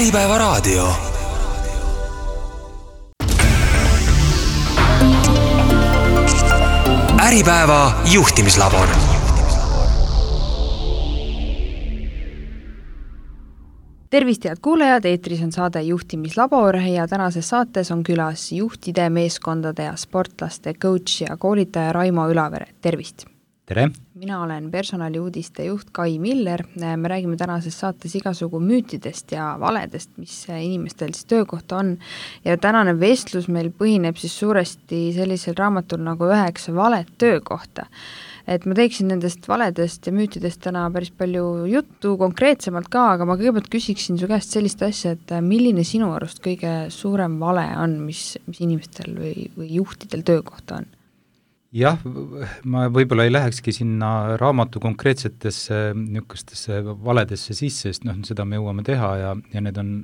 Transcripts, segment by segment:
Äripäeva raadio. Äripäeva juhtimislabor. Tervist, head kuulajad, eetris on saade Juhtimislabor ja tänases saates on külas juhtide, meeskondade ja sportlaste coach ja koolitaja Raimo Ülavere. Tervist! Tere! Mina olen personaliuudiste juht Kai Miller. Me räägime tänases saates igasugu müütidest ja valedest, mis inimestel siis töökohta on. Ja tänane vestlus meil põhineb siis suuresti sellisel raamatul nagu 9 valet töökohta. Et ma teeksin nendest valedest ja müütidest täna päris palju juttu konkreetsemalt ka, aga ma kõigepealt küsiksin su käest sellist asja, et milline sinu arust kõige suurem vale on, mis inimestel või juhtidel töökohta on? Jah, ma võib-olla ei lähekski sinna raamatu konkreetsetesse niisugustesse valedesse sisse, sest seda me jõuame teha ja need on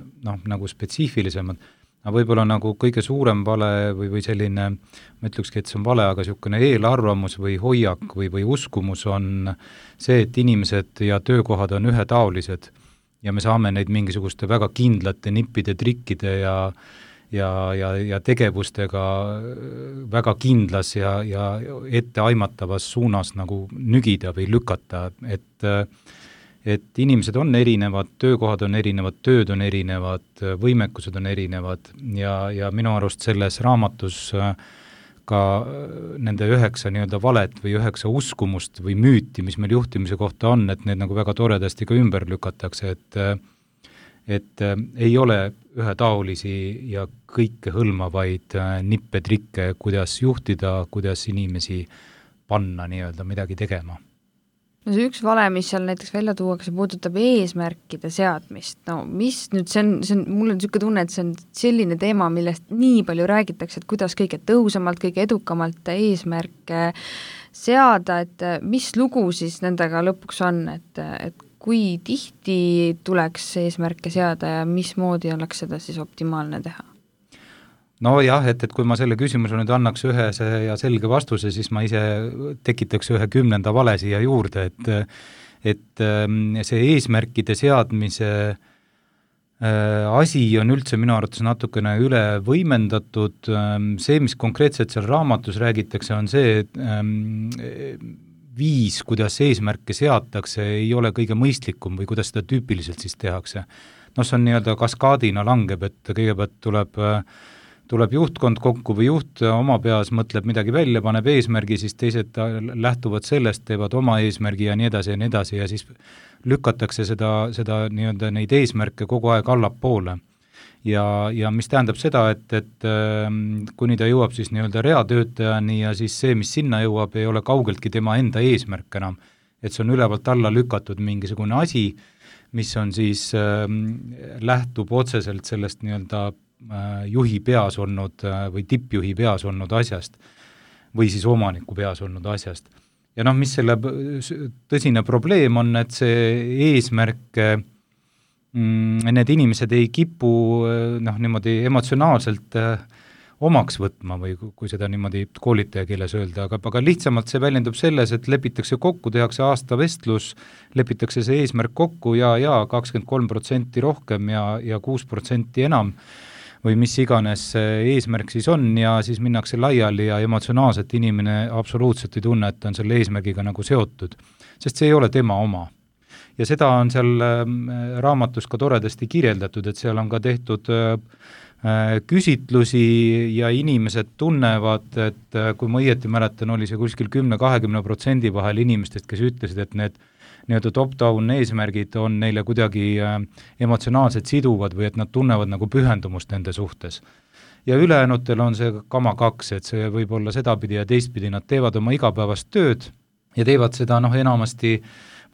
nagu spetsiifilisemad. Aga võib-olla nagu kõige suurem vale või selline, ma ütlekski, et see on vale, aga niisugune eelarvamus või hoiak või uskumus on see, et inimesed ja töökohad on ühetaolised ja me saame neid mingisuguste väga kindlate nippide, trikkide ja tegevustega väga kindlas ja etteaimatavas suunas nagu nügida või lükata, et inimesed on erinevad, töökohad on erinevad, tööd on erinevad, võimekused on erinevad ja minu arust selles raamatus ka nende 9 nii-öelda valet või 9 uskumust või müüti, mis meil juhtimise kohta on, et need nagu väga toredasti ka ümber lükatakse, et ei ole ühetaolisi ja kõike hõlmavaid nippe, trikke, kuidas juhtida, kuidas inimesi panna nii-öelda midagi tegema. No see üks vale, mis seal näiteks välja tuuakse, puudutab eesmärkide seadmist. No mis nüüd, see on mul on niisugune tunne, et see on selline teema, millest nii palju räägitakse, et kuidas kõige tõhusamalt, kõige edukamalt eesmärke seada, et mis lugu siis nendega lõpuks on, et kui tihti tuleks eesmärke seada ja mismoodi oleks seda siis optimaalne teha? No jah, et kui ma selle küsimuse nüüd annaks ühese ja selge vastuse, siis ma ise tekitaks ühe 10. vale siia juurde, et see eesmärkide seadmise asi on üldse minu arvates natukene üle võimendatud. See, mis konkreetselt seal raamatus räägitakse, on see, et viis, kuidas eesmärke seatakse, ei ole kõige mõistlikum või kuidas seda tüüpiliselt siis tehakse. See on nii-öelda kaskaadina langeb, et kõigepealt tuleb juhtkond kokku või juht oma peas mõtleb midagi välja, paneb eesmärgi, siis teised lähtuvad sellest, teevad oma eesmärgi ja nii edasi ja siis lükatakse seda nii-öelda neid eesmärke kogu aeg allapoole. Ja mis tähendab seda, et kuni ta jõuab siis nii-öelda reatöötajani ja siis see, mis sinna jõuab, ei ole kaugeltki tema enda eesmärk enam. Et see on ülevalt alla lükatud mingisugune asi, mis on siis lähtub otseselt sellest nii-öelda juhi peas olnud või tippjuhi peas olnud asjast või siis omaniku peas olnud asjast. Ja mis selle tõsine probleem on, et see eesmärk, need inimesed ei kipu niimoodi emotsionaalselt omaks võtma või kui seda niimoodi koolitaja keeles öelda, aga lihtsamalt see väljendub selles, et lepitakse kokku, tehakse aasta vestlus, lepitakse see eesmärk kokku ja 23% rohkem ja 6% enam või mis iganes eesmärk siis on ja siis minnakse laiali ja emotsionaalselt inimene absoluutselt ei tunne, et ta on selle eesmärgiga nagu seotud, sest see ei ole tema oma. Ja seda on seal raamatus ka toredasti kirjeldatud, et seal on ka tehtud küsitlusi ja inimesed tunnevad, et kui ma õieti mäletan, oli see kuskil 10-20% vahel inimestest, kes ütlesid, et need nii-öelda top-down eesmärgid on neile kuidagi emotsionaalselt siduvad või et nad tunnevad nagu pühendumust nende suhtes. Ja ülejäänutel on see kama 2, et see võib olla sedapidi ja teistpidi, nad teevad oma igapäevast tööd ja teevad seda enamasti,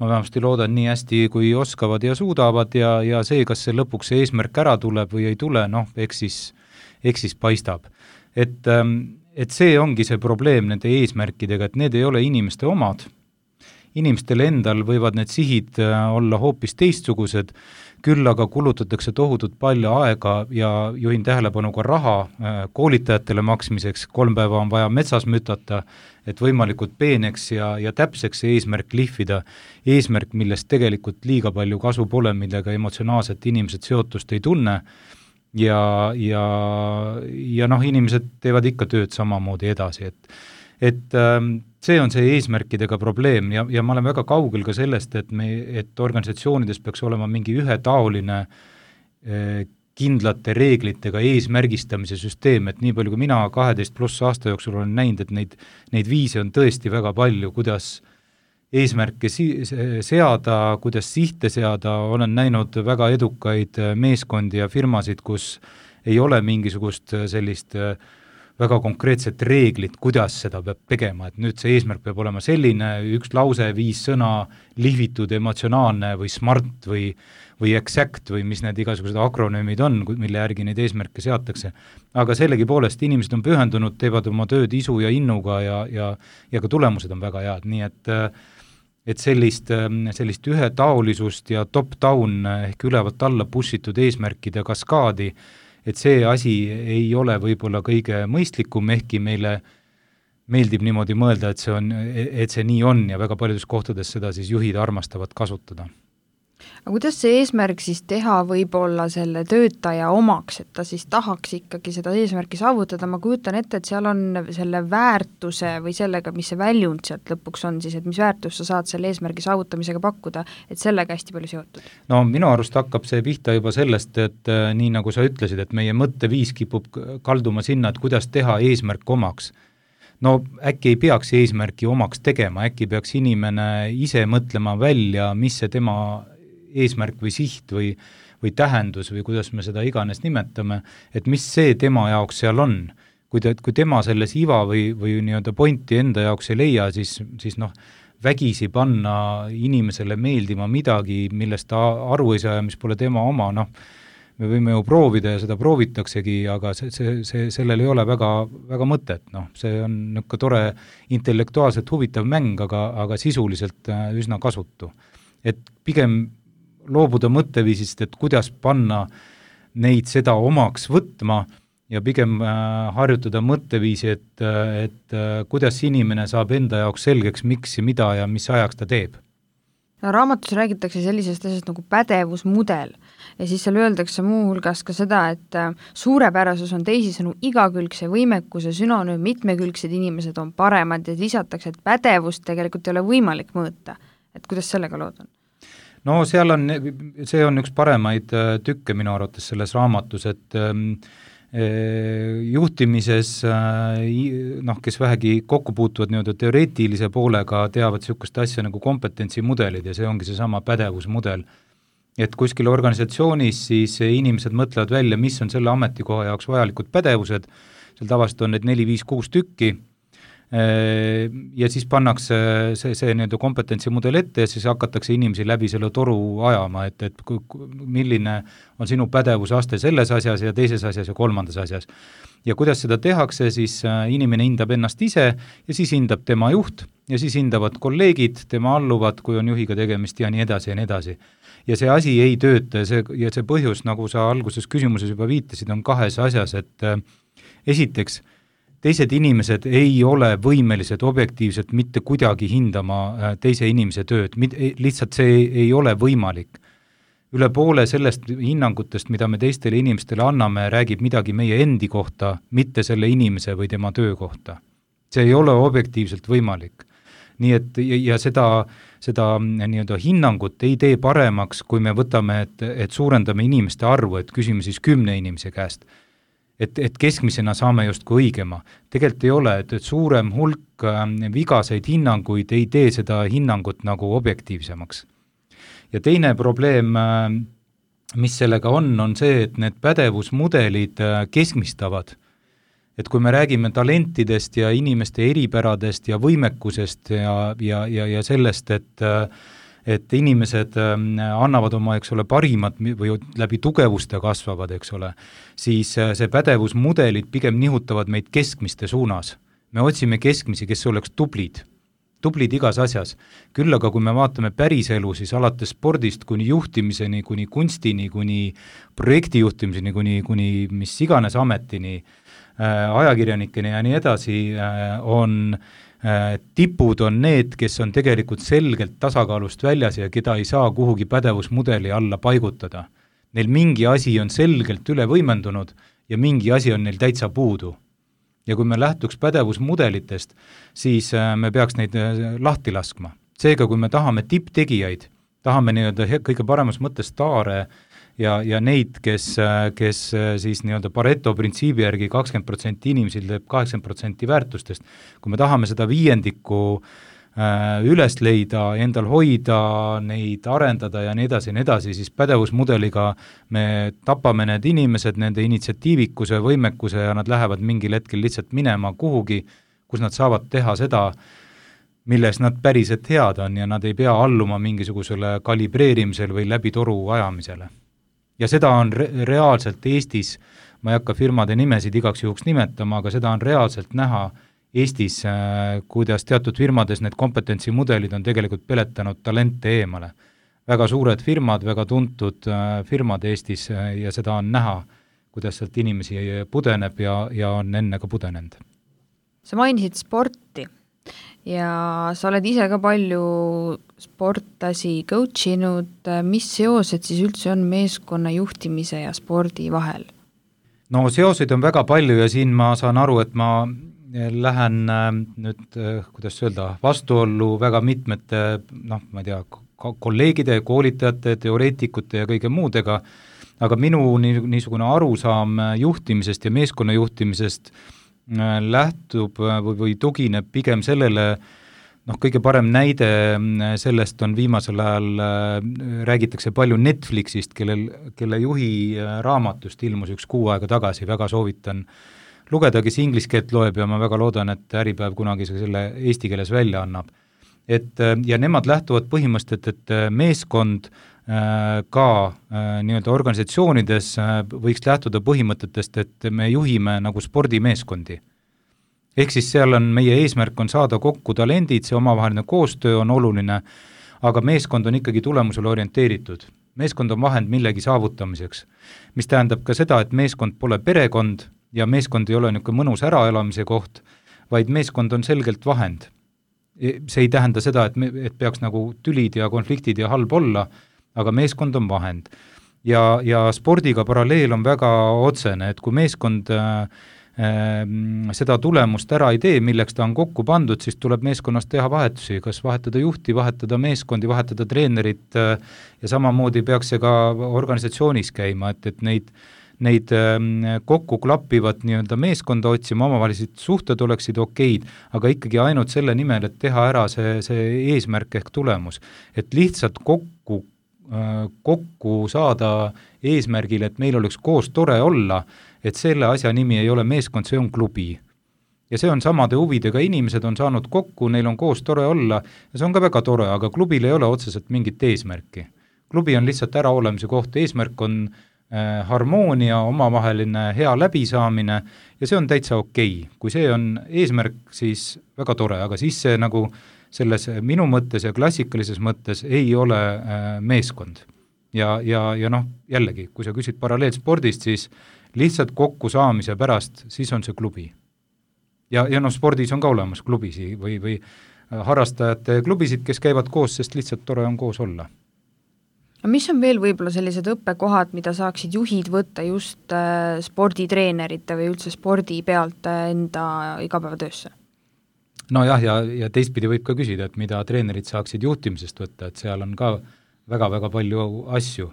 ma vähemasti loodan nii hästi, kui oskavad ja suudavad ja see, kas see lõpuks see eesmärk ära tuleb või ei tule, eks siis paistab. Et see ongi see probleem nende eesmärkidega, et need ei ole inimeste omad inimestel endal võivad need sihid olla hoopis teistsugused, küll aga kulutatakse tohutult palju aega ja juhin tähelepanu ka raha koolitajatele maksmiseks, 3 päeva on vaja metsas mütata, et võimalikult peeneks ja täpseks see eesmärk lihvida, eesmärk, millest tegelikult liiga palju kasu pole, millega emotsionaalselt inimesed seotust ei tunne ja inimesed teevad ikka tööd samamoodi edasi, et see on see eesmärkidega probleem ja ma olen väga kaugel ka sellest, et organisatsioonides peaks olema mingi ühetaoline kindlate reeglitega eesmärgistamise süsteem, et nii palju kui mina 12+ aasta jooksul olen näinud, et neid viise on tõesti väga palju, kuidas eesmärke seada, kuidas sihte seada, olen näinud väga edukaid meeskondi ja firmasid, kus ei ole mingisugust sellist väga konkreetset reeglit, kuidas seda peab tegema, et nüüd see eesmärk peab olema selline, 1 lause, 5 sõna, lihvitud, emotsionaalne või smart või exact või mis need igasugused akronüümid on, mille järgi neid eesmärke seatakse. Aga sellegipoolest inimesed on pühendunud, teevad oma tööd isu ja innuga ja ka tulemused on väga head, nii et sellist ühetaolisust ja top-down ehk ülevalt alla pussitud eesmärkide kaskaadi, et see asi ei ole võib-olla kõige mõistlikum, ehkki meile meeldib niimoodi mõelda, et see nii on ja väga paljudes kohtades seda siis juhid armastavad kasutada. Aga kuidas see eesmärk siis teha võib-olla selle töötaja omaks, et ta siis tahaks ikkagi seda eesmärki saavutada, ma kujutan ette, et seal on selle väärtuse või sellega, mis see väljund sealt lõpuks on siis, et mis väärtus sa saad selle eesmärgi saavutamisega pakkuda, et sellega hästi palju seotud? No minu arust hakkab see pihta juba sellest, et nii nagu sa ütlesid, et meie mõtteviis kipub kalduma sinna, et kuidas teha eesmärk omaks. No äkki ei peaks eesmärki omaks tegema, äkki peaks inimene ise mõtlema välja, mis see tema eesmärk või siht või tähendus või kuidas me seda iganes nimetame, et mis see tema jaoks seal on. Kui tema selles iva või nii-öelda pointi enda jaoks ei leia, siis vägisi panna inimesele meeldima midagi, millest ta aru ei saa ja mis pole tema oma, me võime ju proovida ja seda proovitaksegi, aga sellel ei ole väga, väga mõtet, see on niisugune tore intellektuaalselt huvitav mäng, aga sisuliselt üsna kasutu. Et pigem loobuda mõtteviisist, et kuidas panna neid seda omaks võtma ja pigem harjutada mõtteviisi, et kuidas inimene saab enda jaoks selgeks, miks ja mida ja mis ajaks ta teeb. No, raamatus räägitakse sellisest asjast nagu pädevusmudel ja siis seal öeldakse muuhulgas ka seda, et suurepärasus on teisisõnu igakülgse võimekuse sünonüüm, mitmekülgsed inimesed on paremad ja lisatakse, et pädevust tegelikult ei ole võimalik mõõta. Et kuidas sellega lood on? No see on üks paremaid tükke minu arvates selles raamatus, et juhtimises, kes vähegi kokku puutuvad nii-öelda teoreetilise poolega, teavad niisugust asja nagu kompetentsimudelid ja see ongi seesama pädevusmudel. Et kuskil organisatsioonis siis inimesed mõtlevad välja, mis on selle ametikoha jaoks vajalikud pädevused, seal tavaliselt on need 4, 5, 6 tükki, ja siis pannakse see nii-öelda kompetentsimudel ette ja siis hakatakse inimesi läbi selle toru ajama, et milline on sinu pädevuse aste selles asjas ja teises asjas ja kolmandas asjas. Ja kuidas seda tehakse, siis inimene hindab ennast ise ja siis hindab tema juht ja siis hindavad kolleegid, tema alluvad, kui on juhiga tegemist ja nii edasi ja nii edasi. Ja see asi ei tööta ja see põhjus, nagu sa alguses küsimuses juba viitasid, on 2 asjas, et esiteks, teised inimesed ei ole võimelised objektiivselt mitte kuidagi hindama teise inimese tööd, lihtsalt see ei ole võimalik. Üle poole sellest hinnangutest, mida me teistele inimestele anname, räägib midagi meie endi kohta, mitte selle inimese või tema töö kohta. See ei ole objektiivselt võimalik. Nii et ja seda nii-öelda hinnangut ei tee paremaks, kui me võtame, et suurendame inimeste arvu, et küsime siis 10 inimese käest. Et keskmisena saame justkui õigema. Tegelikult ei ole, et suurem hulk vigaseid hinnanguid ei tee seda hinnangut nagu objektiivsemaks. Ja teine probleem, mis sellega on see, et need pädevusmudelid keskmistavad. Et kui me räägime talentidest ja inimeste eripäradest ja võimekusest ja sellest, et inimesed annavad oma, parimat või läbi tugevuste kasvavad, siis see pädevusmudelid pigem nihutavad meid keskmiste suunas. Me otsime keskmisi, kes oleks tublid tublid igas asjas. Küll aga kui me vaatame päriselu, siis alates spordist kuni juhtimiseni, kuni kunstini, kuni projektijuhtimiseni, kuni mis iganes ametini, ajakirjanikeni ja nii edasi, tipud on need, kes on tegelikult selgelt tasakaalust väljas ja keda ei saa kuhugi pädevusmudeli alla paigutada. Neil mingi asi on selgelt üle võimendunud ja mingi asi on neil täitsa puudu. Ja kui me lähtuks pädevusmudelitest, siis me peaks neid lahti laskma. Seega, kui me tahame tipptegijaid, tahame nii-öelda kõige paremas mõttes staare ja neid, kes siis nii-öelda Pareto printsiibi järgi 20% inimesel teeb 80% väärtustest, kui me tahame seda viiendikku üles leida, endal hoida, neid arendada ja nii edasi, siis pädevusmudeliga me tapame need inimesed, nende initsiatiivikuse, võimekuse ja nad lähevad mingil hetkel lihtsalt minema kuhugi, kus nad saavad teha seda, milles nad päriselt head on ja nad ei pea alluma mingisugusele kalibreerimisel või läbi toru ajamisele. Ja seda on reaalselt Eestis, ma ei hakka firmade nimesid igaks juhuks nimetama, aga seda on reaalselt näha Eestis, kuidas teatud firmades need kompetentsimudelid on tegelikult peletanud talente eemale. Väga suured firmad, väga tuntud firmad Eestis ja seda on näha, kuidas sealt inimesi pudeneb ja on enne ka pudenenud. Sa mainisid sporti ja sa oled ise ka palju sportlasi coachinud. Mis seosed siis üldse on meeskonna juhtimise ja spordi vahel? No seoseid on väga palju ja siin ma saan aru, et ma lähen nüüd, kuidas öelda, vastuollu väga mitmete, ma ei tea, kolleegide, koolitajate, teoreetikute ja kõige muudega, aga minu niisugune arusaam juhtimisest ja meeskonna juhtimisest lähtub või tugineb pigem sellele, kõige parem näide sellest on viimasel ajal, räägitakse palju Netflixist, kelle juhi raamatust ilmus üks kuu aega tagasi, väga soovitan lugeda, kes inglise keelt loeb ja ma väga loodan, et Äripäev kunagi selle eesti keeles välja annab. Ja nemad lähtuvad põhimõtteliselt, et meeskond ka nii-öelda organisatsioonides võiks lähtuda põhimõtetest, et me juhime nagu spordimeeskondi. Ehk siis seal on meie eesmärk on saada kokku talendid, see omavaheline koostöö on oluline, aga meeskond on ikkagi tulemusele orienteeritud. Meeskond on vahend millegi saavutamiseks, mis tähendab ka seda, et meeskond pole perekond, ja meeskond ei ole niisugune mõnus äraelamise koht, vaid meeskond on selgelt vahend. See ei tähenda seda, et peaks nagu tülid ja konfliktid ja halb olla, aga meeskond on vahend. Ja spordiga paralleel on väga otsene, et kui meeskond seda tulemust ära ei tee, milleks ta on kokku pandud, siis tuleb meeskonnas teha vahetusi, kas vahetada juhti, vahetada meeskondi, vahetada treenerit ja samamoodi peaks see ka organisatsioonis käima, et neid kokku klappivad nii-öelda meeskonda otsima, omavahelised suhted oleksid okeid, aga ikkagi ainult selle nimel, et teha ära see eesmärk ehk tulemus. Et lihtsalt kokku saada eesmärgil, et meil oleks koos tore olla, et selle asja nimi ei ole meeskond, see on klubi. Ja see on samade huvidega, inimesed on saanud kokku, neil on koos tore olla ja see on ka väga tore, aga klubil ei ole otseselt mingit eesmärki. Klubi on lihtsalt äraolemise koht, eesmärk on harmoonia, omavaheline hea läbisaamine ja see on täitsa okei. Kui see on eesmärk, siis väga tore, aga siis see nagu selles minu mõttes ja klassikalises mõttes ei ole meeskond. Ja jällegi, kui sa küsid paralleelspordist, siis lihtsalt kokku saamise pärast, siis on see klubi. Ja spordis on ka olemas klubisi või harrastajate klubisid, kes käivad koos, sest lihtsalt tore on koos olla. Mis on veel võib-olla sellised õppekohad, mida saaksid juhid võtta just sporditreenerite või üldse spordi pealt enda igapäevatöösse? Ja teistpidi võib ka küsida, et mida treenerid saaksid juhtimisest võtta, et seal on ka väga-väga palju asju.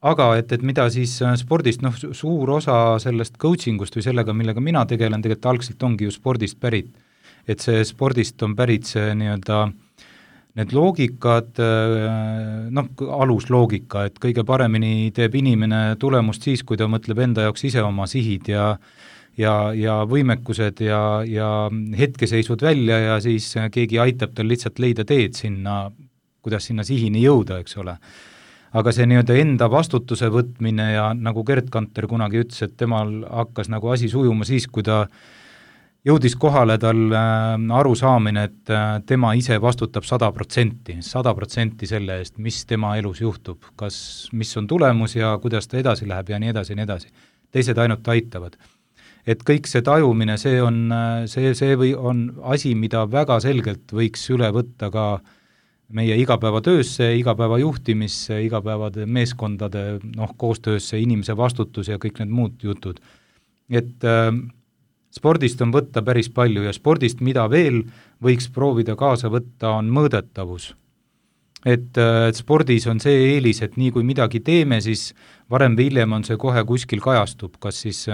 Aga et mida siis spordist, suur osa sellest coachingust või sellega, millega mina tegelen, tegelikult algselt ongi ju spordist pärit. Et see spordist on pärit see nii-öelda need loogikad, alusloogika, et kõige paremini teeb inimene tulemust siis, kui ta mõtleb enda jaoks ise oma sihid ja võimekused ja hetkeseisud välja ja siis keegi aitab tal lihtsalt leida teed sinna, kuidas sinna sihini jõuda, eks ole. Aga see nii-öelda enda vastutuse võtmine ja nagu Gerd Kanter kunagi ütles, et temal hakkas nagu asi sujuma siis, kui ta jõudis kohale tal arusaamine, et tema ise vastutab 100% selle eest, mis tema elus juhtub, mis on tulemus ja kuidas ta edasi läheb ja nii edasi ja nii edasi. Teised ainult aitavad. Et kõik see tajumine, see on asi, mida väga selgelt võiks üle võtta ka meie igapäevatöösse, igapäeva juhtimisse, igapäevade meeskondade koostöösse, inimese vastutus ja kõik need muud jutud. Et spordist on võtta päris palju ja spordist, mida veel võiks proovida kaasa võtta, on mõõdetavus. Et spordis on see eelis, et nii kui midagi teeme, siis varem või hiljem on see kohe kuskil kajastub, kas siis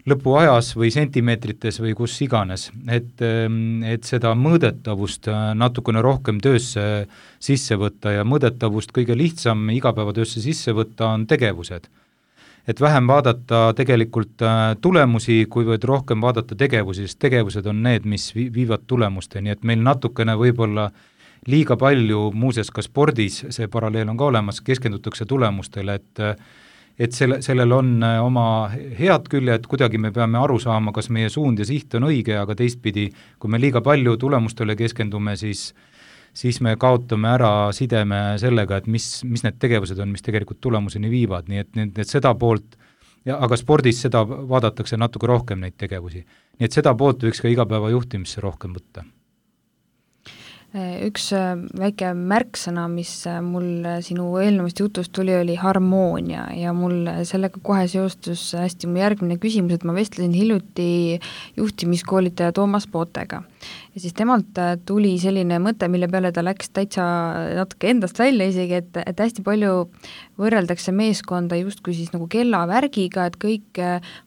lõpuajas või sentimeetrites või kus iganes. Et seda mõõdetavust natukene rohkem töösse sisse võtta ja mõõdetavust kõige lihtsam igapäevatöösse sisse võtta on tegevused. Et vähem vaadata tegelikult tulemusi, kuivõrd rohkem vaadata tegevusi, sest tegevused on need, mis viivad tulemusteni, et meil natukene võib-olla liiga palju, muuseas ka spordis, see paralleel on ka olemas, keskendutakse tulemustele, et sellel on oma head küljed, kuidagi me peame aru saama, kas meie suund ja siht on õige, aga teistpidi, kui me liiga palju tulemustele keskendume, siis me kaotame ära sideme sellega, et mis need tegevused on, mis tegelikult tulemuseni viivad, nii et seda poolt, aga spordis seda vaadatakse natuke rohkem neid tegevusi. Nii et seda poolt võiks ka igapäeva juhtimisse rohkem võtta. Üks väike märksõna, mis mul sinu eelnevast jutust tuli, oli harmoonia ja mul sellega kohe seostus hästi mu järgmine küsimus, et ma vestlesin hiljuti juhtimiskoolitaja Toomas Pootega. Ja siis temalt tuli selline mõte, mille peale ta läks täitsa natuke endast välja isegi, et hästi palju võrreldakse meeskonda justkui siis nagu kellavärgiga, et kõik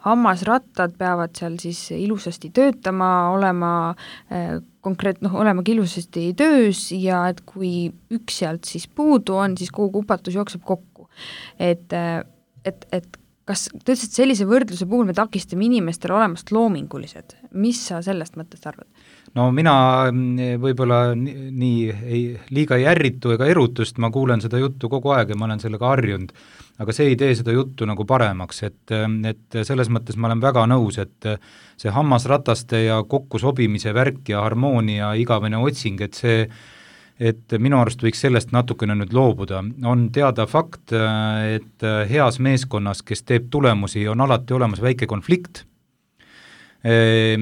hammasrattad peavad seal siis ilusasti töötama, olema olema ilusasti töös ja et kui üks sealt siis puudu on, siis kogu kupatus jookseb kokku. Et kas tõesti sellise võrdluse puhul me takistame inimestel olemast loomingulised? Mis sa sellest mõttest arvad? No mina võib-olla liiga ei ärritu ega erutust, ma kuulen seda juttu kogu aeg ja ma olen sellega harjunud, aga see ei tee seda juttu nagu paremaks, et selles mõttes ma olen väga nõus, et see hammasrataste ja kokku sobimise värk ja harmoonia igavene otsing, et minu arust võiks sellest natukene nüüd loobuda. On teada fakt, et heas meeskonnas, kes teeb tulemusi, on alati olemas väike konflikt,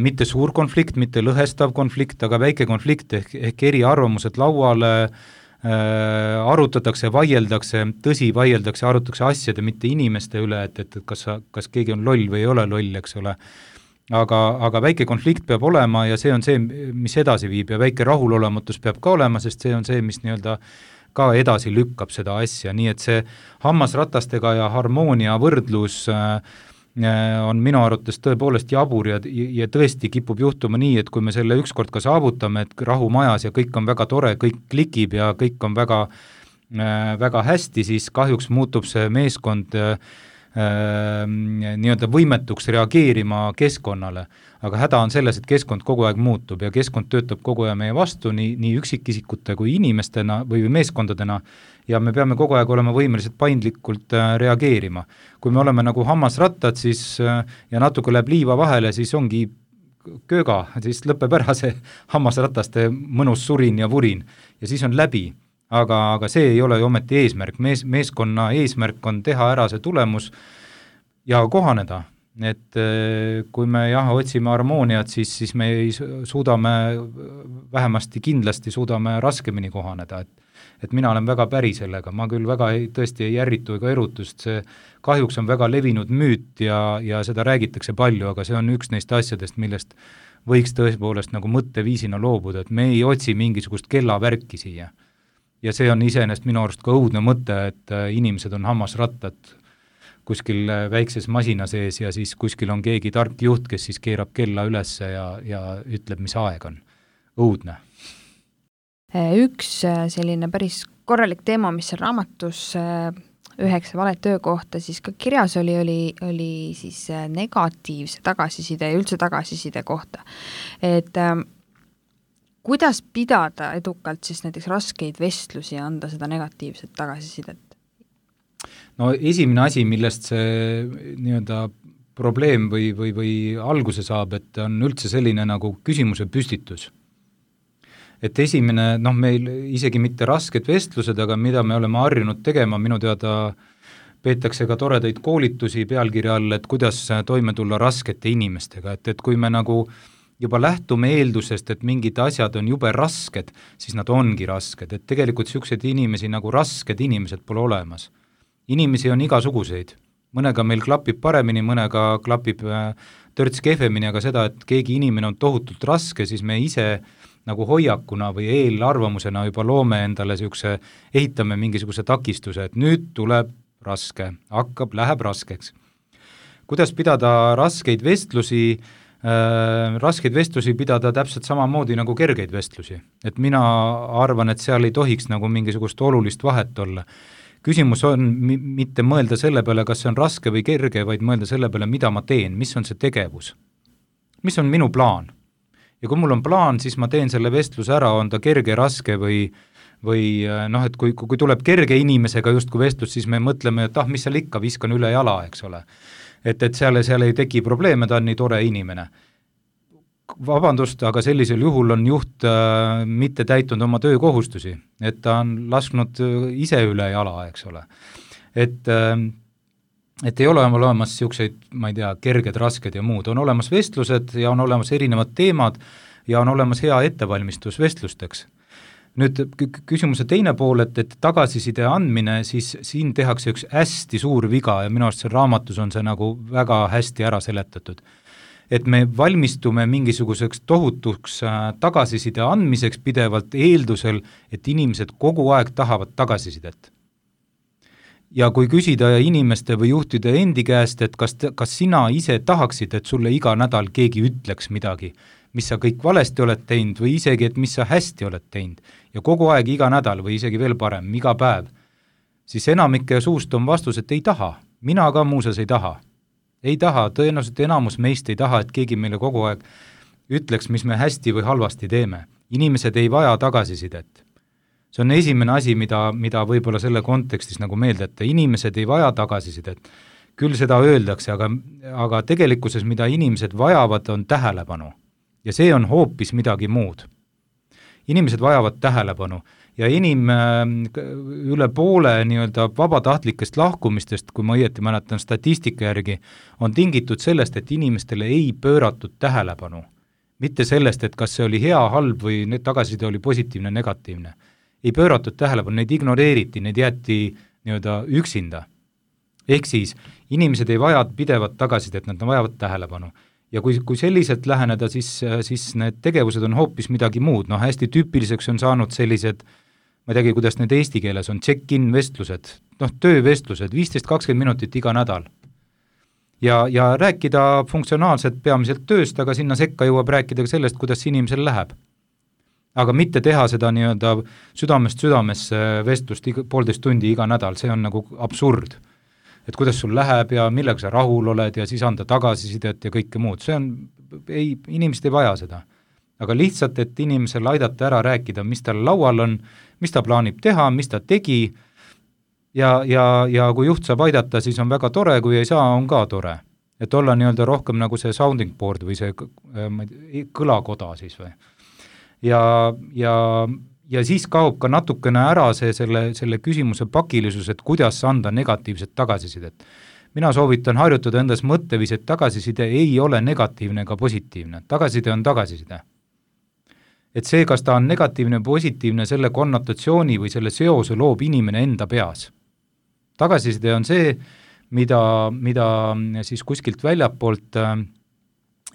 mitte suur konflikt, mitte lõhestav konflikt, aga väike konflikt ehk eri arvamused lauale, arutatakse, vaieldakse, arutatakse asjade, mitte inimeste üle, et kas keegi on loll või ei ole loll, eks ole. Aga väike konflikt peab olema ja see on see, mis edasi viib ja väike rahulolematus peab ka olema, sest see on see, mis nii-öelda ka edasi lükkab seda asja, nii et see hammasratastega ja harmoonia võrdlus on minu arvates tõepoolest jabur ja tõesti kipub juhtuma nii, et kui me selle ükskord ka saavutame, et rahu majas ja kõik on väga tore, kõik klikib ja kõik on väga, väga hästi, siis kahjuks muutub see meeskond nii-öelda võimetuks reageerima keskkonnale. Aga häda on selles, et keskkond kogu aeg muutub ja keskkond töötab kogu aeg meie vastu nii üksikisikute kui inimestena või meeskondadena ja me peame kogu aeg olema võimelised paindlikult reageerima. Kui me oleme nagu hammasrattad siis, ja natuke läheb liiva vahele, siis ongi kööga, siis lõpeb ära see hammasrataste mõnus surin ja vurin ja siis on läbi. Aga see ei ole ju ometi eesmärk, meeskonna eesmärk on teha ära see tulemus ja kohaneda, et kui me otsime harmooniat, siis me suudame, vähemasti kindlasti suudame raskemini kohaneda, et mina olen väga päri sellega, ma küll väga tõesti ei ärritu ega erutust, see kahjuks on väga levinud müüt ja seda räägitakse palju, aga see on üks neist asjadest, millest võiks tõepoolest nagu mõtteviisina loobuda, et me ei otsi mingisugust kellavärki siia. Ja see on iseenesest minu arust ka õudne mõte, et inimesed on hammasrattad kuskil väikses masina sees ja siis kuskil on keegi tark juht, kes siis keerab kella ülesse ja ütleb, mis aeg on. Õudne. Üks selline päris korralik teema, mis on raamatus 9 valet töökohta, siis ka kirjas oli siis negatiivse tagasiside ja üldse tagasiside kohta. Et kuidas pidada edukalt siis näiteks raskeid vestlusi ja anda seda negatiivset tagasisidet? No esimene asi, millest see nii-öelda probleem või alguse saab, et on üldse selline nagu küsimuse püstitus. Et esimene, meil isegi mitte rasked vestlused, aga mida me oleme harjunud tegema, minu teada peetakse ka toredaid koolitusi pealkirja all, et kuidas toime tulla raskete inimestega, et kui me nagu juba lähtume eeldusest, et mingid asjad on jube rasked, siis nad ongi rasked, et tegelikult niisuguseid inimesi nagu rasked inimesed pole olemas. Inimesi on igasuguseid, mõnega meil klapib paremini, mõnega klapib törts kehvemini, aga seda, et keegi inimene on tohutult raske, siis me ise nagu hoiakuna või eelarvamusena juba loome endale ehitame mingisuguse takistuse, et nüüd tuleb raske, läheb raskeks. Kuidas pidada raskeid vestlusi pidada täpselt samamoodi nagu kergeid vestlusi. Et mina arvan, et seal ei tohiks nagu mingisugust olulist vahet olla. Küsimus on mitte mõelda selle peale, kas see on raske või kerge, vaid mõelda selle peale, mida ma teen, mis on see tegevus, mis on minu plaan. Ja kui mul on plaan, siis ma teen selle vestluse ära, on ta kerge, raske või et kui tuleb kerge inimesega justkui vestlus, siis me mõtleme, et mis seal ikka, viskan üle jala, eks ole. Et seal ei teki probleeme, ta on nii tore inimene. Vabandust, aga sellisel juhul on juht mitte täitunud oma töökohustusi, et ta on lasknud ise üle jala, eks ole. Et ei ole olemas niisuguseid, ma ei tea, kerged, rasked ja muud, on olemas vestlused ja on olemas erinevad teemad ja on olemas hea ettevalmistus vestlusteks. Nüüd küsimuse teine pool, et tagasiside andmine, siis siin tehakse üks hästi suur viga ja minu arust see raamatus on see nagu väga hästi ära seletatud. Et me valmistume mingisuguseks tohutuks tagasiside andmiseks pidevalt eeldusel, et inimesed kogu aeg tahavad tagasisidet. Ja kui küsida inimeste või juhtide endi käest, et kas sina ise tahaksid, et sulle iga nädal keegi ütleks midagi, mis sa kõik valesti oled teinud või isegi, et mis sa hästi oled teinud ja kogu aeg iga nädal või isegi veel parem, iga päev, siis enamike suust on vastus, et ei taha. Mina ka muuseas ei taha. Ei taha, tõenäoliselt enamus meist ei taha, et keegi meile kogu aeg ütleks, mis me hästi või halvasti teeme. Inimesed ei vaja tagasisidet. See on esimene asi, mida võib-olla selle kontekstis nagu meelde, et inimesed ei vaja tagasisidet. Küll seda öeldakse, aga tegelikkuses, mida inimesed vajavad, on tähelepanu. Ja see on hoopis midagi muud. Inimesed vajavad tähelepanu ja üle poole nii-öelda vabatahtlikest lahkumistest, kui ma õieti mäletan statistika järgi, on tingitud sellest, et inimestele ei pööratud tähelepanu. Mitte sellest, et kas see oli hea, halb või tagasiside oli positiivne, negatiivne. Ei pööratud tähelepanu, neid ignoreeriti, neid jäeti nii-öelda üksinda. Ehk siis inimesed ei vaja pidevat tagasisidet, nad vajavad tähelepanu. Ja kui selliselt läheneda, siis need tegevused on hoopis midagi muud. Hästi tüüpiliseks on saanud sellised, ma ei teagi, kuidas need eesti keeles on, check-in vestlused, töövestlused, 15-20 minutit iga nädal. Ja rääkida funktsionaalselt peamiselt tööst, aga sinna sekka jõuab rääkida ka sellest, kuidas inimesel läheb. Aga mitte teha seda nii-öelda südamest vestlust 1,5 tundi iga nädal, see on nagu absurd. Et kuidas sul läheb ja millega sa rahul oled ja siis anda tagasisidet ja kõike muud. Inimesed ei vaja seda. Aga lihtsalt, et inimesel aidata ära rääkida, mis tal laual on, mis ta plaanib teha, mis ta tegi ja kui juht saab aidata, siis on väga tore, kui ei saa, on ka tore. Et olla nii-öelda rohkem nagu see sounding board või see kõlakoda siis või. Ja siis kaob ka natukene ära selle küsimuse pakilisus, et kuidas anda negatiivset tagasisidet. Mina soovitan harjutada endas mõttevis, et tagasiside ei ole negatiivne ega positiivne. Tagasiside on tagasiside. Et see, kas ta on negatiivne või positiivne, selle konnotatsiooni või selle seose loob inimene enda peas. Tagasiside on see, mida siis kuskilt väljapoolt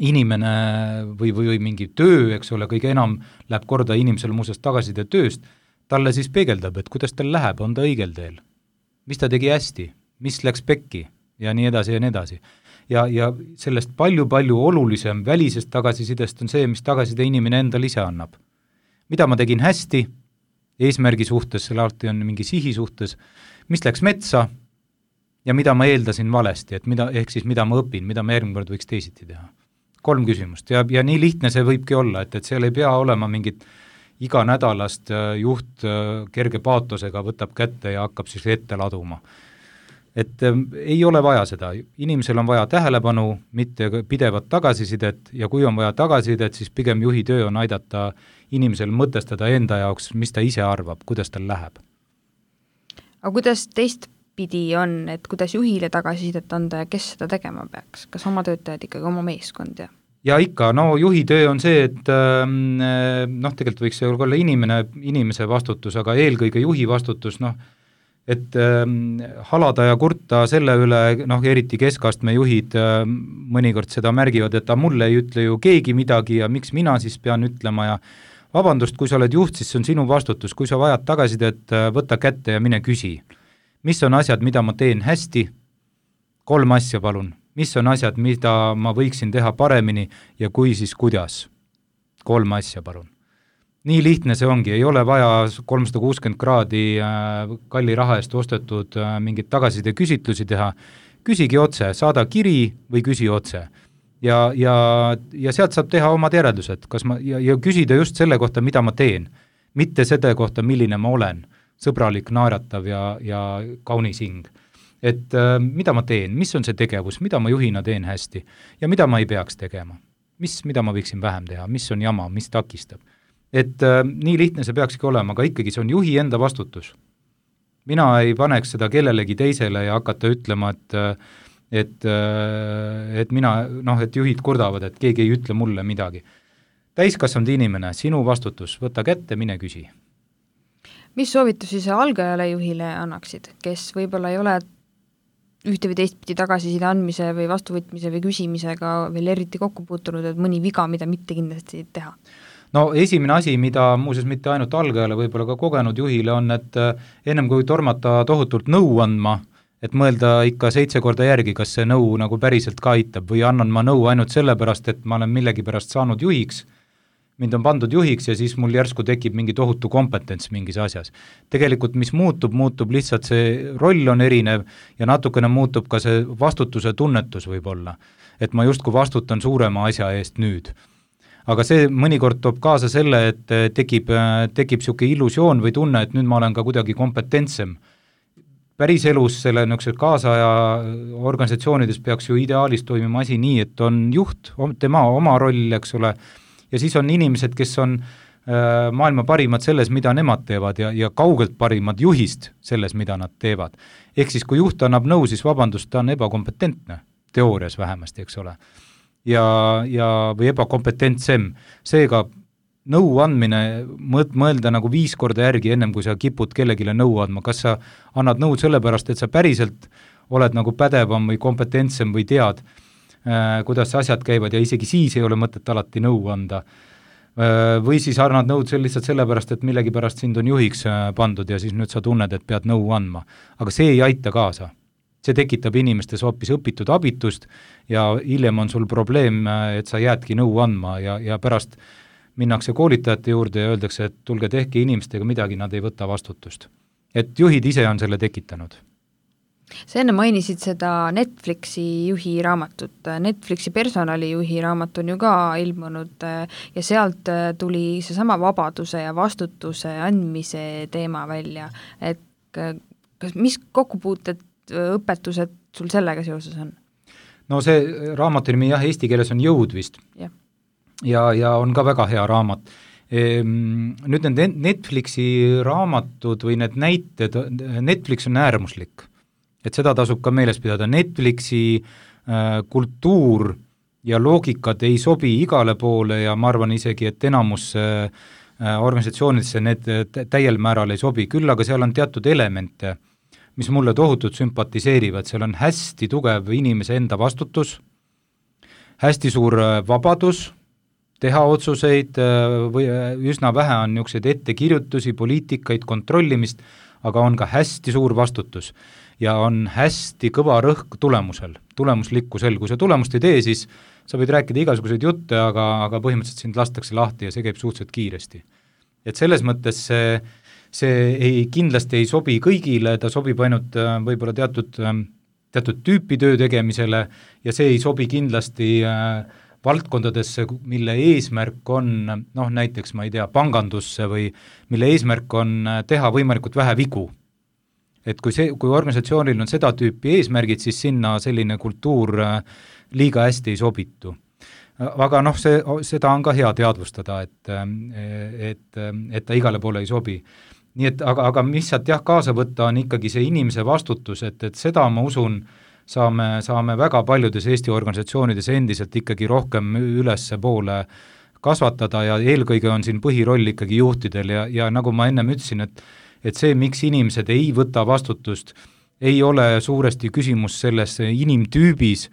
inimene või mingi töö, eks ole, kõige enam läheb korda inimesel muuseas tagasiside tööst, talle siis peegeldab, et kuidas tal läheb, on ta õigel teel, mis ta tegi hästi, mis läks pekki ja nii edasi ja nii edasi. Ja sellest palju olulisem välisest tagasisidest on see, mis tagasiside inimene endal ise annab. Mida ma tegin hästi, eesmärgi suhtes, selle alati on mingi sihi suhtes, mis läks metsa ja mida ma eeldasin valesti, et ehk siis mida ma õpin, mida ma järgmine kord võiks teisiti teha. 3 küsimust ja nii lihtne see võibki olla, et seal ei pea olema mingit iga nädalast juht kerge paatosega võtab kätte ja hakkab siis ette laduma. et ei ole vaja seda, inimesel on vaja tähelepanu, mitte pidevat tagasisidet ja kui on vaja tagasisidet, siis pigem juhi töö on aidata inimesel mõtestada enda jaoks, mis ta ise arvab, kuidas tal läheb. Aga kuidas teistpidi on, et kuidas juhile tagasisidet anda ja kes seda tegema peaks? Kas oma töötajad ikkagi oma meeskond ja? Ja ikka, no juhi töö on see, et tegelikult võiks see olla inimese vastutus, aga eelkõige juhi vastutus, et halada ja kurta selle üle, eriti keskastme juhid mõnikord seda märgivad, et mulle ei ütle ju keegi midagi ja miks mina siis pean ütlema ja vabandust, kui sa oled juht, siis see on sinu vastutus, kui sa vajad tagasisidet, võta kätte ja mine küsi. Mis on asjad, mida ma teen hästi? 3 asja palun. Mis on asjad, mida ma võiksin teha paremini ja kui siis kuidas? 3 asja palun. Nii lihtne see ongi, ei ole vaja 360 kraadi kalli raha eest ostetud mingit tagasiside küsitlusi teha, küsigi otse, saada kiri või küsi otse. Ja sealt saab teha omad järeldused, ja küsida just selle kohta, mida ma teen, mitte selle kohta, milline ma olen, sõbralik, naeratav ja kaunis hing. Et mida ma teen, mis on see tegevus, mida ma juhina teen hästi ja mida ma ei peaks tegema, mida ma võiksin vähem teha, mis on jama, mis takistab. Et nii lihtne see peakski olema, aga ikkagi see on juhi enda vastutus. Mina ei paneks seda kellelegi teisele ja hakata ütlema, et juhid kurdavad, et keegi ei ütle mulle midagi. Täiskasvanud inimene, sinu vastutus, võta kätte, mine küsi. Mis soovitusi sa algajale juhile annaksid, kes võib-olla ei ole ühte või teistpidi tagasiside andmise või vastuvõtmise või küsimisega veel eriti kokku puutunud, et mõni viga, mida mitte kindlasti teha? No esimene asi, mida muuseas mitte ainult algajale, võib-olla ka kogenud juhile on, et ennem kui tormata tohutult nõu andma, et mõelda ikka 7 korda järgi, kas see nõu nagu päriselt ka aitab või annan ma nõu ainult sellepärast, et ma olen millegi pärast saanud juhiks, mind on pandud juhiks ja siis mul järsku tekib mingi tohutu kompetents mingis asjas. Tegelikult mis muutub lihtsalt see roll on erinev ja natukene muutub ka see vastutuse tunnetus võib-olla, et ma justkui vastutan suurema asja eest nüüd. Aga see mõnikord toob kaasa selle, et tekib siuke illusioon või tunne, et nüüd ma olen ka kuidagi kompetentsem. Päris elus selle kaasaja organisatsioonides peaks ju ideaalis toimima asi nii, et on juht, tema oma roll, eks ole, ja siis on inimesed, kes on maailma parimad selles, mida nemad teevad ja kaugelt parimad juhist selles, mida nad teevad. Ehk siis, kui juht annab nõu, siis vabandust, ta on ebakompetentne, teoorias vähemasti, eks ole. või ebakompetentsem. Seega nõu andmine, mõelda nagu 5 korda järgi ennem, kui sa kipud kellegile nõu andma, kas sa annad nõu sellepärast, et sa päriselt oled nagu pädevam või kompetentsem või tead, kuidas asjad käivad ja isegi siis ei ole mõtet alati nõu anda. Või siis annad nõud lihtsalt sellepärast, et millegi pärast sind on juhiks pandud ja siis nüüd sa tunned, et pead nõu andma. Aga see ei aita kaasa. See tekitab inimestes hoopis õpitud abitust ja hiljem on sul probleem, et sa jäädki nõu andma ja pärast minnakse koolitajate juurde ja öeldakse, et tulge tehke inimestega midagi, nad ei võta vastutust. Et juhid ise on selle tekitanud. Sa enne mainisid seda Netflixi juhi raamatut. Netflixi personalijuhi raamat on ju ka ilmunud ja sealt tuli seesama vabaduse ja vastutuse andmise teema välja. Et mis kokkupuuted õpetused sul sellega seoses on? No see raamatu nimi eesti keeles on Jõud vist. Ja on ka väga hea raamat. Nüüd need Netflixi raamatud või need näited, Netflix on äärmuslik. Et seda tasub ka meeles pidada. Netflixi kultuur ja loogikad ei sobi igale poole ja ma arvan isegi, et enamus organisatsioonidesse need täiel määral ei sobi. Küll aga seal on teatud elemente, mis mulle tohutult sümpatiseerivad, seal on hästi tugev inimese enda vastutus, hästi suur vabadus teha otsuseid, või üsna vähe on niisuguseid ettekirjutusi, poliitikaid, kontrollimist, aga on ka hästi suur vastutus ja on hästi kõva rõhk tulemusel, tulemuslikkusel. Kui sa tulemust ei tee, siis sa võid rääkida igasuguseid jutte, aga põhimõtteliselt sind lastakse lahti ja see käib suhteliselt kiiresti. Et selles mõttes see kindlasti ei sobi kõigile, ta sobib ainult võib-olla teatud tüüpi töö tegemisele ja see ei sobi kindlasti valdkondadesse, mille eesmärk on, näiteks ma ei tea, pangandusse või mille eesmärk on teha võimalikult vähe vigu. et kui organisatsioonil on seda tüüpi eesmärgid, siis sinna selline kultuur liiga hästi ei sobitu. Aga seda on ka hea teadvustada, et ta igale poole ei sobi. Nii et, aga mis sealt kaasa võtta, on ikkagi see inimese vastutus, et seda ma usun, saame väga paljudes Eesti organisatsioonides endiselt ikkagi rohkem ülesse poole kasvatada ja eelkõige on siin põhiroll ikkagi juhtidel ja nagu ma ennem ütlesin, et see, miks inimesed ei võta vastutust, ei ole suuresti küsimus selles inimtüübis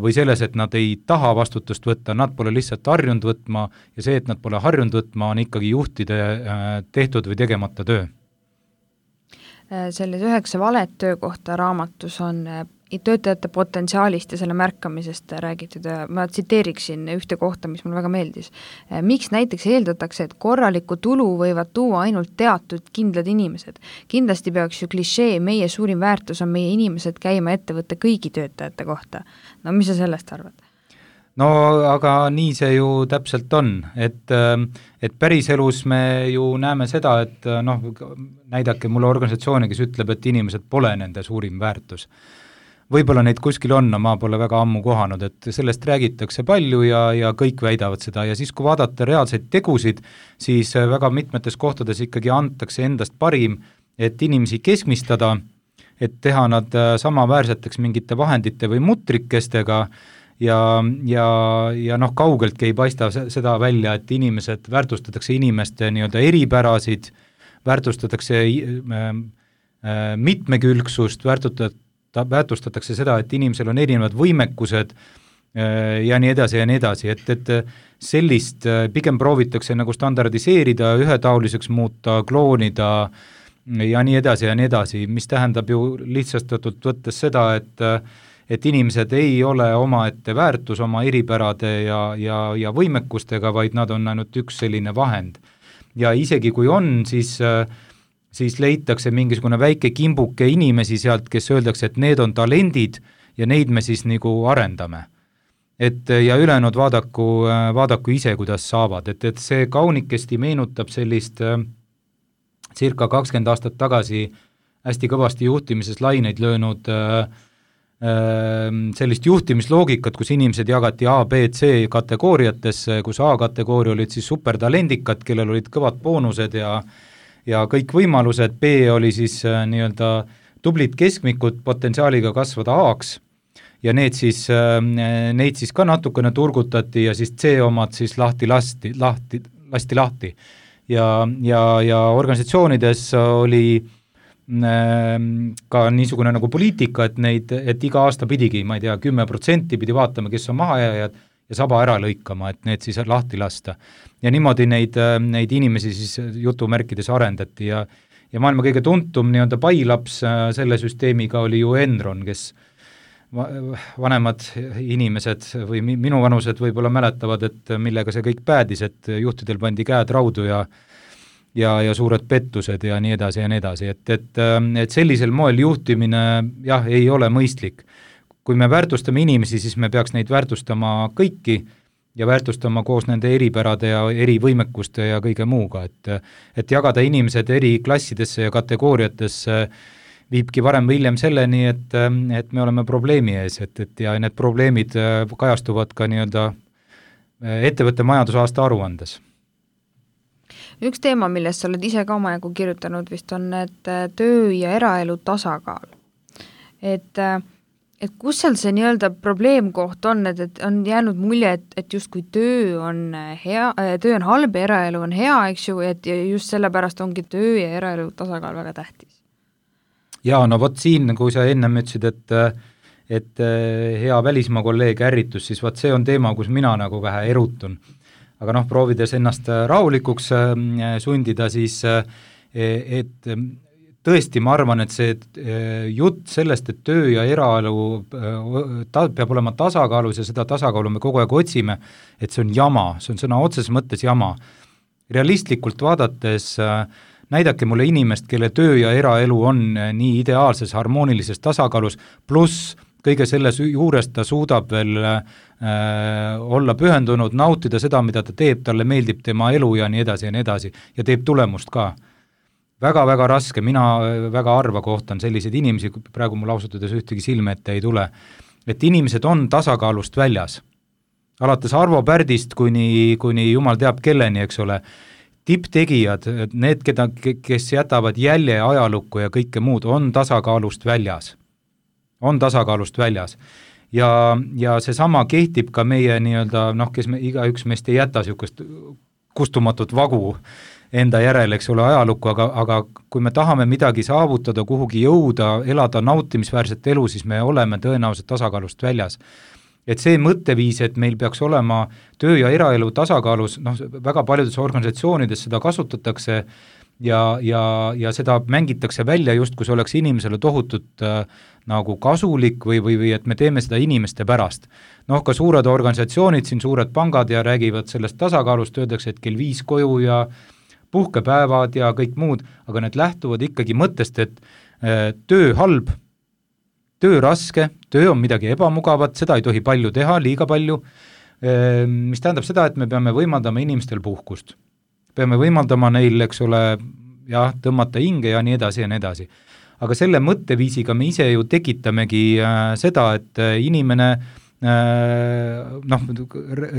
või selles, et nad ei taha vastutust võtta, nad pole lihtsalt harjunud võtma ja see, et nad pole harjunud võtma, on ikkagi juhtide tehtud või tegemata töö. Selles 9 valet töökohta raamatus on töötajate potentsiaalist ja selle märkamisest räägitud ja ma tsiteeriksin ühte kohta, mis mulle väga meeldis. Miks näiteks eeldatakse, et korralikku tulu võivad tuua ainult teatud kindlad inimesed? Kindlasti peaks ju klišee, meie suurim väärtus on meie inimesed käima ettevõtte kõigi töötajate kohta. No mis sa sellest arvad? No aga nii see ju täpselt on, et päriselus me ju näeme seda, et näidake mulle organisatsiooni, kes ütleb, et inimesed pole nende suurim väärtus. Võib-olla neid kuskil on, ma pole väga ammu kohanud, et sellest räägitakse palju ja kõik väidavad seda ja siis, kui vaadata reaalseid tegusid, siis väga mitmetes kohtades ikkagi antakse endast parim, et inimesi keskmistada, et teha nad samaväärseteks mingite vahendite või mutrikestega ja kaugeltki ei paista seda välja, et inimesed, väärtustatakse inimeste nii-öelda eripärasid, väärtustatakse mitmekülgsust, väärtustatakse seda, et inimesel on erinevad võimekused ja nii edasi, et sellist pigem proovitakse nagu standardiseerida, ühetaoliseks muuta, kloonida ja nii edasi, mis tähendab ju lihtsastatult võttes seda, et inimesed ei ole omaette väärtus oma eripärade ja võimekustega, vaid nad on ainult üks selline vahend. Ja isegi kui on, siis leitakse mingisugune väike kimbuke inimesi sealt, kes öeldakse, et need on talendid ja neid me siis nagu arendame. Ja ülejäänud vaadaku ise, kuidas saavad, et see kaunikesti meenutab sellist circa 20 aastat tagasi hästi kõvasti juhtimises laineid löönud sellist juhtimisloogikat, kus inimesed jagati A, B, C kategooriatesse, kus A kategooria olid siis supertalendikad, kellel olid kõvad boonused ja kõik võimalused, B oli siis nii-öelda tublid keskmikud potentsiaaliga kasvada A-ks ja neid siis ka natukene turgutati ja siis C omad siis lasti lahti. Ja organisatsioonides oli ka niisugune nagu poliitika, et iga aasta pidigi, ma ei tea, 10% pidi vaatama, kes on mahajääjad ja saba ära lõikama, et need siis lahti lasta. Ja niimoodi neid inimesi siis jutumärkides arendati ja maailma kõige tuntum nii-öelda pailaps selle süsteemiga oli ju Enron, kes vanemad inimesed või minu vanused võib-olla mäletavad, et millega see kõik päädis, et juhtidel pandi käed raudu ja suured pettused ja nii edasi, et sellisel moel juhtimine jah, ei ole mõistlik. Kui me väärtustame inimesi, siis me peaks neid väärtustama kõiki ja väärtustama koos nende eripärade ja erivõimekuste ja kõige muuga, et jagada inimesed eri klassidesse ja kategooriatesse viibki varem või hiljem selleni, et me oleme probleemi ees, ja need probleemid kajastuvad ka nii-öelda ettevõtte majandusaasta aruandes. Üks teema, millest sa oled ise ka omajagu kirjutanud vist on need töö ja eraelu tasakaal. Et kus seal see nii-öelda probleemkoht on, et on jäänud mulje, et justkui töö on halb ja eraelu on hea, eks ju, et just sellepärast ongi töö ja eraelu tasakaal väga tähtis. Jaa, no vot siin, kui sa ennem ütlesid, et hea välismaa kolleeg ärritus, siis vot see on teema, kus mina nagu vähe erutun. Aga proovides ennast rahulikuks sundida, siis et tõesti ma arvan, et see jutt sellest, et töö ja eraelu peab olema tasakaalus ja seda tasakaalu me kogu aeg otsime, et see on jama, see on sõna otseses mõttes jama. Realistlikult vaadates näidake mulle inimest, kelle töö ja eraelu on nii ideaalses, harmoonilises tasakaalus, pluss kõige selles juures ta suudab veel olla pühendunud, nautida seda, mida ta teeb, talle meeldib tema elu ja nii edasi, ja teeb tulemust ka. väga-väga raske, mina väga harva kohtan selliseid inimesi, praegu mul ausalt öeldes ühtegi silme ette ei tule, et inimesed on tasakaalust väljas. Alates Arvo Pärdist kuni jumal teab kelleni, eks ole, tipptegijad, need, kes jätavad jälje ajalukku ja kõike muud, on tasakaalust väljas. On tasakaalust väljas. Ja seesama kehtib ka meie nii-öelda, kes igaüks meist ei jäta niisugust kustumatut vagu enda järel, eks ole, ajalukku, aga kui me tahame midagi saavutada, kuhugi jõuda, elada nautimisväärset elu, siis me oleme tõenäoliselt tasakaalust väljas. Et see mõtteviis, et meil peaks olema töö ja eraelu tasakaalus, väga paljudes organisatsioonides seda kasutatakse ja seda mängitakse välja just, kui see oleks inimesele tohutult nagu kasulik või et me teeme seda inimeste pärast. Ka suured organisatsioonid, siin suured pangad ja räägivad sellest tasakaalust, öeldakse, et kell 5 koju ja puhkepäevad ja kõik muud, aga need lähtuvad ikkagi mõttest, et töö halb, töö raske, töö on midagi ebamugavat, seda ei tohi palju teha, liiga palju, mis tähendab seda, et me peame võimaldama inimestel puhkust. Peame võimaldama neil, eks ole, tõmmata hinge ja nii edasi ja nii edasi. Aga selle mõtteviisiga me ise ju tekitamegi seda, et inimene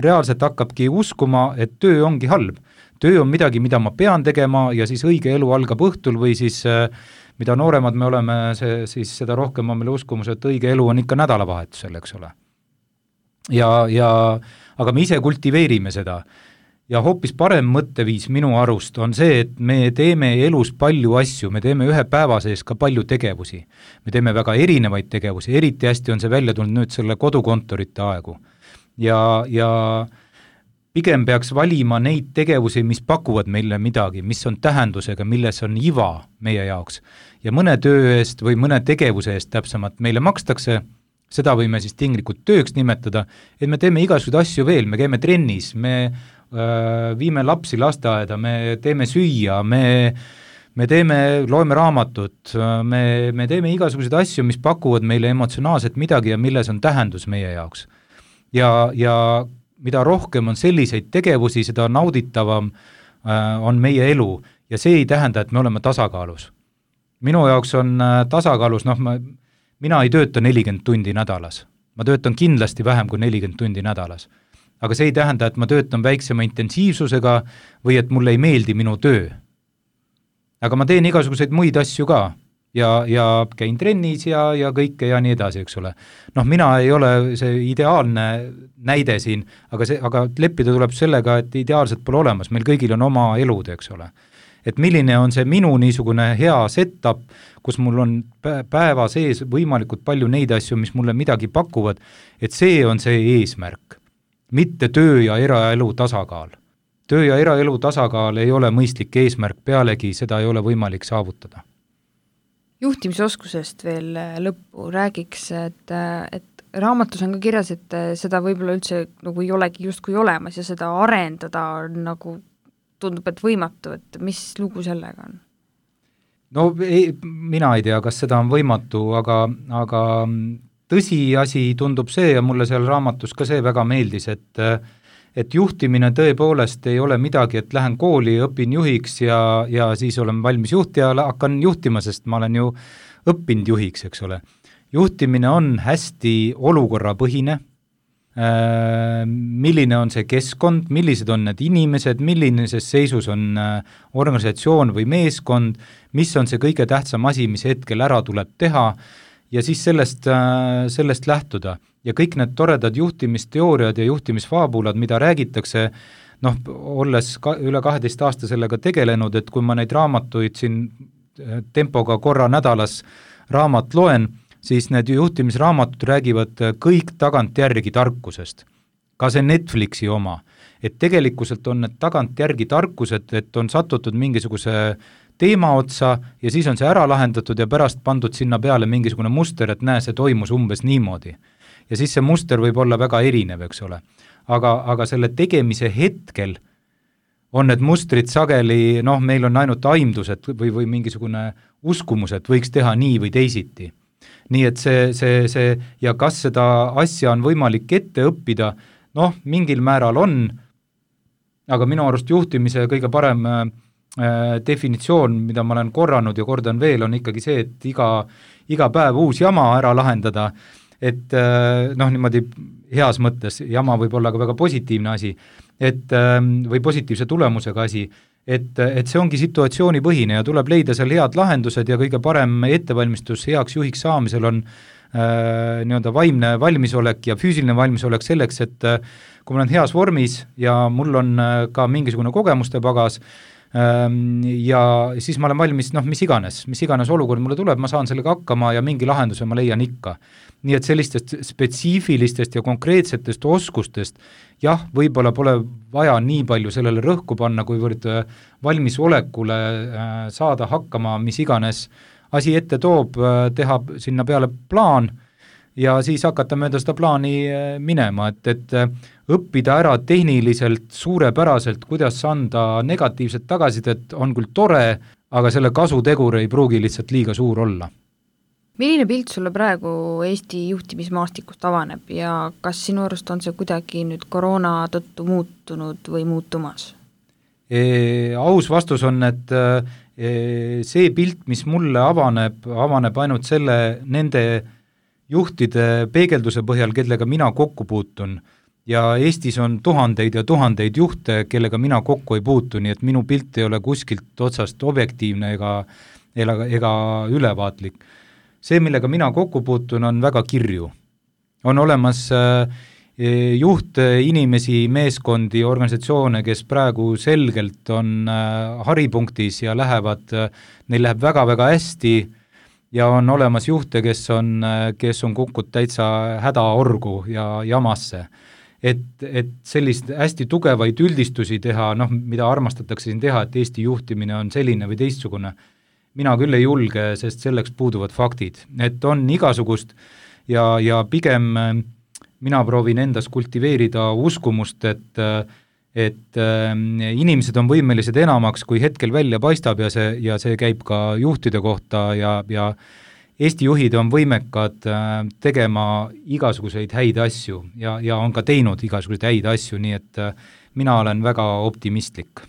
reaalselt hakkabki uskuma, et töö ongi halb. Töö on midagi, mida ma pean tegema ja siis õige elu algab õhtul või siis mida nooremad me oleme, siis seda rohkem on meil uskumus, et õige elu on ikka nädalavahetusel, eks ole. Aga me ise kultiveerime seda. Ja hoopis parem mõtteviis minu arust on see, et me teeme elus palju asju, me teeme ühe päeva sees ka palju tegevusi. Me teeme väga erinevaid tegevusi, eriti hästi on see välja tulnud nüüd selle kodukontorite aegu. Ja pigem peaks valima neid tegevusi, mis pakuvad meile midagi, mis on tähendusega, milles on iva meie jaoks. Ja mõne töö eest või mõne tegevuse eest täpsemalt meile makstakse, seda võime siis tinglikult tööks nimetada, et me teeme igasuguseid asju veel, me käime trennis, me viime lapsi lasteaeda, me teeme süüa, me loeme raamatut, me teeme igasuguseid asju, mis pakuvad meile emotsionaalselt midagi ja milles on tähendus meie jaoks. Ja mida rohkem on selliseid tegevusi, seda nauditavam on meie elu ja see ei tähenda, et me oleme tasakaalus. Minu jaoks on tasakaalus, mina ei tööta 40 tundi nädalas, ma töötan kindlasti vähem kui 40 tundi nädalas, aga see ei tähenda, et ma töötan väiksema intensiivsusega või et mulle ei meeldi minu töö. Aga ma teen igasuguseid muid asju ka ja käin trennis ja kõike ja nii edasi, eks ole. Mina ei ole see ideaalne näide siin, aga leppida tuleb sellega, et ideaalselt pole olemas, meil kõigil on oma elud, eks ole. Et milline on see minu niisugune hea setup, kus mul on päeva sees võimalikult palju neid asju, mis mulle midagi pakuvad, et see on see eesmärk, mitte töö ja eraelu tasakaal. Töö ja eraelu tasakaal ei ole mõistlik eesmärk, pealegi seda ei ole võimalik saavutada. Juhtimisoskusest veel lõppu räägiks, et raamatus on ka kirjas, et seda võib-olla üldse nagu ei olegi justkui olemas ja seda arendada nagu tundub, et võimatu, et mis lugu sellega on? Mina ei tea, kas seda on võimatu, aga tõsiasi tundub see ja mulle seal raamatus ka see väga meeldis, et juhtimine tõepoolest ei ole midagi, et lähen kooli, õpin juhiks ja siis olen valmis juht ja hakkan juhtima, sest ma olen ju õppinud juhiks, eks ole. Juhtimine on hästi olukorrapõhine, milline on see keskkond, millised on need inimesed, millises seisus on organisatsioon või meeskond, mis on see kõige tähtsam asi, mis hetkel ära tuleb teha ja siis sellest lähtuda. Ja kõik need toredad juhtimisteooriad ja juhtimisfaabulad, mida räägitakse, olles üle 12 aasta sellega tegelenud, et kui ma neid raamatuid siin tempoga korra nädalas raamat loen, siis need juhtimisraamatud räägivad kõik tagantjärgi tarkusest. Ka see Netflixi oma. Et tegelikkuselt on need tagantjärgi tarkused, et on satutud mingisuguse teema otsa ja siis on see ära lahendatud ja pärast pandud sinna peale mingisugune muster, et näe, see toimus umbes niimoodi. Ja siis see muster võib olla väga erinev, eks ole. Aga selle tegemise hetkel on need mustrid sageli, meil on ainult aimdused või mingisugune uskumus, et võiks teha nii või teisiti. Nii et see ja kas seda asja on võimalik ette õppida, mingil määral on, aga minu arust juhtimise kõige parem definitsioon, mida ma olen korranud ja kordan veel, on ikkagi see, et iga päev uus jama ära lahendada, et niimoodi heas mõttes, jama võib olla ka väga positiivne asi, või positiivse tulemusega asi, et see ongi situatsioonipõhine ja tuleb leida seal head lahendused ja kõige parem ettevalmistus heaks juhiks saamisel on nii-öelda vaimne valmisolek ja füüsiline valmisolek selleks, et kui ma olen heas vormis ja mul on ka mingisugune kogemuste pagas, ja siis ma olen valmis, mis iganes olukord mulle tuleb, ma saan sellega hakkama ja mingi lahenduse ma leian ikka. Nii et sellistest spetsiifilistest ja konkreetsetest oskustest, jah, võib-olla pole vaja nii palju sellele rõhku panna, kuivõrd valmisolekule saada hakkama, mis iganes asi ette toob, teha sinna peale plaan ja siis hakata mööda seda plaani minema, et õppida ära tehniliselt suurepäraselt, kuidas anda negatiivset tagasisidet, on küll tore, aga selle kasutegur ei pruugi lihtsalt liiga suur olla. Milline pilt sulle praegu Eesti juhtimismaastikust avaneb ja kas sinu arust on see kuidagi nüüd koroona tõttu muutunud või muutumas? Aus vastus on, et see pilt, mis mulle avaneb ainult nende juhtide peegelduse põhjal, kellega mina kokku puutun ja Eestis on tuhandeid ja tuhandeid juhte, kellega mina kokku ei puutu, nii et minu pilt ei ole kuskilt otsast objektiivne ega ülevaatlik. See, millega mina kokku puutun, on väga kirju. On olemas juhtinimesi, meeskondi, organisatsioone, kes praegu selgelt on haripunktis ja neil läheb väga-väga hästi ja on olemas juhte, kes on kukkud täitsa hädaorgu ja jamasse. Et sellist hästi tugevaid üldistusi teha, mida armastatakse siin teha, et Eesti juhtimine on selline või teistsugune, mina küll ei julge, sest selleks puuduvad faktid. Et on igasugust ja pigem mina proovin endas kultiveerida uskumust, et inimesed on võimelised enamaks, kui hetkel välja paistab ja see käib ka juhtide kohta ja Eesti juhid on võimekad tegema igasuguseid häid asju ja on ka teinud igasuguseid häid asju, nii et mina olen väga optimistlik.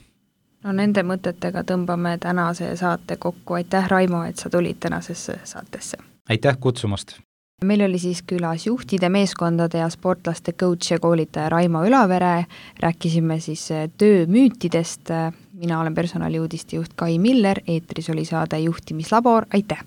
No nende mõtetega tõmbame tänase saate kokku. Aitäh, Raimo, et sa tulid tänasesse saatesse. Aitäh kutsumast! Meil oli siis külas juhtide, meeskondade ja sportlaste coach ja koolitaja Raimo Ülavere. Rääkisime siis töömüütidest. Mina olen personaliuudiste juht Kai Miller, eetris oli saade Juhtimislabor. Aitäh!